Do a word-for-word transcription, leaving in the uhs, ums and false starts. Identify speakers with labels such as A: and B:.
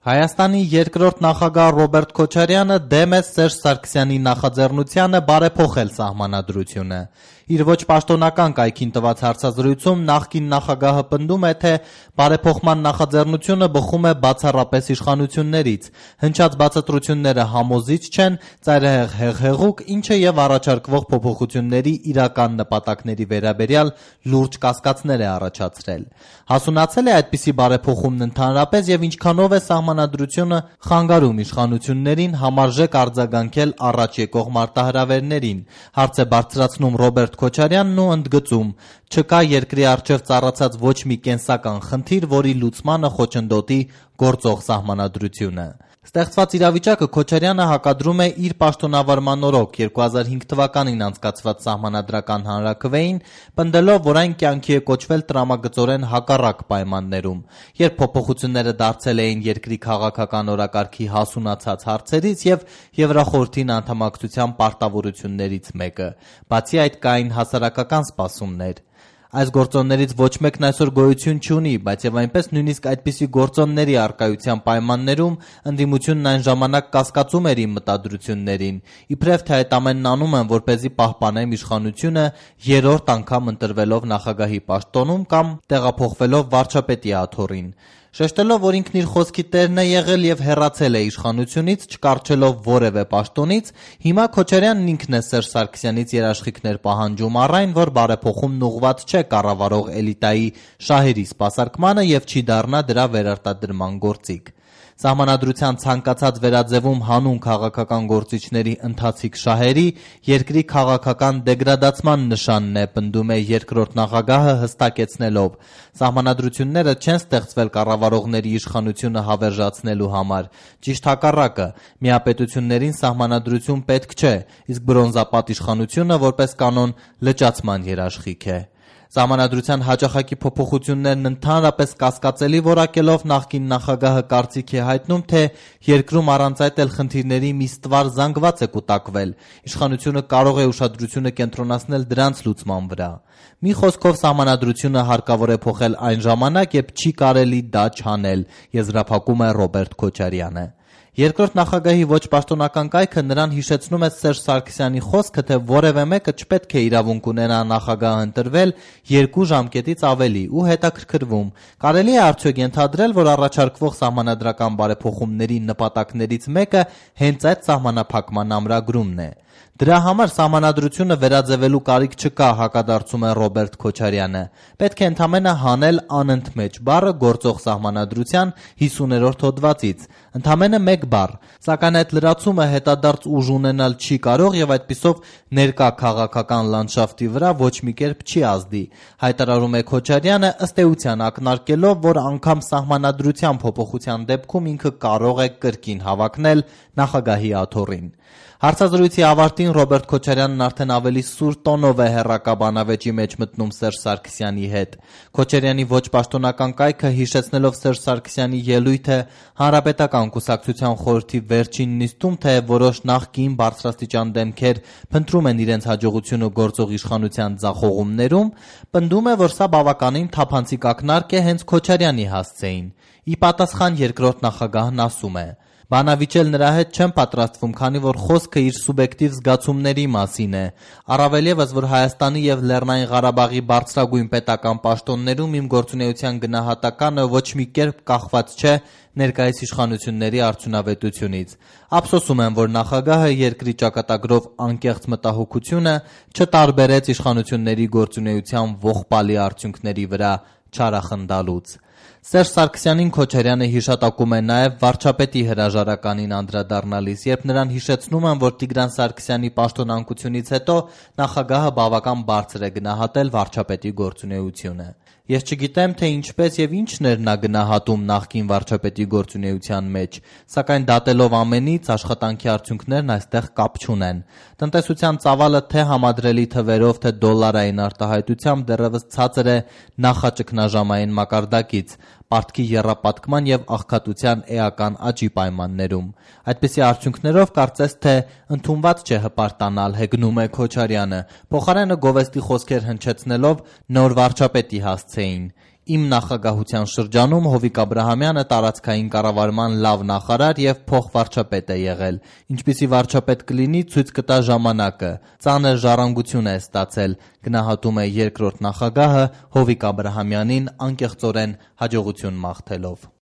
A: Հայաստանի երկրորդ նախագահ Ռոբերտ Քոչարյանը դեմ է Սերժ Սարգսյանի նախաձեռնությանը բարեփոխել սահմանադրությունը։ Իր ոչ պաշտոնական կայքին տված հարցազրույցում նախկին նախագահը պնդում է, թե բարեփոխման նախաձեռնությունը բխում է բացառապես իշխանություններից, հնչած բացատրությունները համոզիչ չեն, ծայրահեղ հեղհեղուկ, ինչը եւ առաջարկվող փոփոխությունների իրական նպատակների վերաբերյալ լուրջ կասկածներ է առաջացրել։ Հասունացել է այդպիսի բարեփոխումն ընդհանրապես եւ ինչքանով է սահմանադրությունը խանգարում իշխանություններին համարժեք արձագանքել առաջ եկող մարտահրավերներին, հարց է բարձրացնում Ռոբերտ Քոչարյանն ու ընդգծում. չկա երկրի առջև ծառացած ոչ մի կենսական խնդիր, որի լուծմանը խոչընդոտի գործող սահմանադրությունը։ Ստեղծված իրավիճակը Քոչարյանը հակադրում է իր պաշտոնավարման օրոք երկու հազար հինգ թվականին անցկացված սահմանադրական հանրաքվեին, պնդելով, որ այն կյանքի է կոչվել տրամագծորեն հակառակ պայմաններում, երբ փոփոխությունները դարձել էին երկրի քաղաքական օրակարգի հասունացած հարցերից եւ Եվրախորհրդին անդամակցության պարտավորություններից մեկը։ Բացի այդ կային հասարակական սպասումներ։ Այս գործոններից ոչ մեկն այսօր գոյություն չունի, բայց եւ այնպես նույնիսկ այդպիսի գործոնների առկայության պայմաններում ընդդիմությունն այն ժամանակ կասկածում էր իմ մտադրություններին, իբրև թե այդ ամենն անում եմ, որպեսզի պահպանեմ իշխանությունը երրորդ անգամ ընտրվելով նախագահի պաշտոնում կամ տեղափոխվելով վարչապետի աթոռին։ Շեշտելով, որ ինքն իր խոսքի տերն է եղել եւ հեռացել է իշխանությունից, չկառչելով որևէ պաշտոնից, հիմա Քոչարյանն ինքն է Սերժ Սարգսյանից երաշխիքներ պահանջում առ այն, որ բարեփոխումն ուղղված չէ կառավարող էլիտայի շահերի սպասարկմանը եւ չի դառնա դրա վերարտադրման գործիք։ Սահմանադրության ցանկացած վերաձևում հանուն քաղաքական գործիչների ընթացիկ շահերի երկրի քաղաքական դեգրադացման նշանն է, պնդում է երկրորդ նախագահը հստակեցնելով. Սահմանադրությունները չեն ստեղծվել կառավարողների իշխանությունը հավերժացնելու համար, ճիշտ հակառակը, միապետություններին սահմանադրություն պետք չէ, իսկ բրոնզապատ իշխանությունը որպես կանոն լճացման երաշխիք է։ Սահմանադրության հաճախակի փոփոխություններն ընդհանրապես կասկածելի որակելով նախկին նախագահը կարծիք է հայտնում, թե երկրում առանց այդ էլ խնդիրների մի ստվար զանգված է կուտակվել, իշխանությունը կարող է ուշադրությունը կենտրոնացնել դրանց լուծման վրա։ Մի խոսքով սահմանադրությունը հարկավոր է փոխել այն ժամանակ, երբ չի կարելի դա չանել, եզրափակում է Ռոբերտ Քոչարյանը։ Երկրորդ նախագահի ոչ պաշտոնական կայքը նրան հիշեցնում է Սերժ Սարգսյանի խոսքը, թե որևէ մեկը չպետք է իրավունք ունենա նախագահ ընտրվել երկու ժամկետից ավելի ու հետաքրքրվում. կարելի է արդյոք ենթադրել, որ առաջարկվող սահմանադրական բարեփոխումների նպատակներից մեկը հենց այդ սահմանափակման ամրագրումն է։ Դրա համար սահմանադրությունը վերաձևելու կարիք չկա, հակադարձում է Ռոբերտ Քոչարյանը։ Պետք է ընդամենը հանել անընդմեջ բառը գործող սահմանադրության հիսուներորդ հոդվածից, ընդամենը մեկ բառ, սակայն այդ լրացումը հետադարձ ուժ ունենալ չի կարող եւ այդպիսով ներկա քաղաքական լանդշաֆտի վրա ոչ մի կերպ չի ազդի, հայտարարում է Քոչարյանը, ըստ էության ակնարկելով, որ անգամ սահմանադրության փոփոխության դեպքում ինքը կարող է կրկին հավակնել նախագահի աթոռին։ Հարցազրույցի ավարտին Ռոբերտ Քոչարյանն արդեն ավելի սուր տոնով է հեռակա բանավեճի մեջ մտնում Սերժ Սարգսյանի հետ։ Քոչարյանի ոչ պաշտոնական կայքը հիշեցնելով Սերժ Սարգսյանի ելույթը Հանրապետական կուսակցության խորհրդի վերջին նիստում, թե որոշ նախկին բարձրաստիճան դեմքեր փնտրում են իրենց հաջողությունը գործող իշխանության ձախողումներում, պնդում է, որ սա բավականին թափանցիկ ակնարկ է հենց Քոչարյանի հասցեին։ Ի պատասխան երկրորդ նախագահն ասում է. Բանավիճել նրա հետ չեմ պատրաստվում, քանի որ խոսքը իր սուբյեկտիվ զգացումների մասին է։ Առավել ևս, որ Հայաստանի եւ Լեռնային Ղարաբաղի բարձրագույն պետական պաշտոններում իմ գործունեության գնահատականը ոչ մի կերպ կախված չէ ներկայիս իշխանությունների արդյունավետությունից։ Ափսոսում եմ, որ նախագահը երկրի ճակատագրով անկեղծ մտահոգությունը չտարբերեց իշխանությունների գործունեության ողբալի արդյունքների վրա չարախնդալուց։ Սերժ Սարգսյանին Քոչարյանը հիշատակում է նաև վարչապետի հրաժարականին անդրադառնալիս, երբ նրան հիշեցնում են, որ Տիգրան Սարգսյանի պաշտոնանկությունից հետո նախագահը բավական բարձր է գնահատել վարչապետի գործունեությունը։ Ես չգիտեմ, թե ինչպես եւ ինչն էր նա գնահատում նախկին վարչապետի գործունեության մեջ, սակայն դատելով ամենից աշխատանքի արդյունքներն այստեղ կապ չունեն։ Տնտեսության ծավալը թե համադրելի թվերով, թե դոլարային արտահայտությամբ դեռևս ցածր է նախաճգնաժամային մակարդակից, պարտքի եռապատկման եւ աղքատության էական աճի պայմաններում։ Այդպիսի արդյունքներով կարծես թե ընդունված չէ հպարտանալ, հեգնում է Քոչարյանը, փոխարենը գովեստի խոսքեր հնչեցնելով նոր վարչապետի հասցեին։ Իմ նախագահության շրջանում Հովիկ Աբրահամյանը տարածքային կառավարման լավ նախարար եւ փոխվարչապետ է եղել։ Ինչպիսի վարչապետ կլինի, ցույց կտա ժամանակը։ Ծանր ժառանգություն է ստացել, գնահատում է երկրորդ նախագահը Հովիկ Աբրահամյանին անկեղծորեն հաջողություն մաղթելով։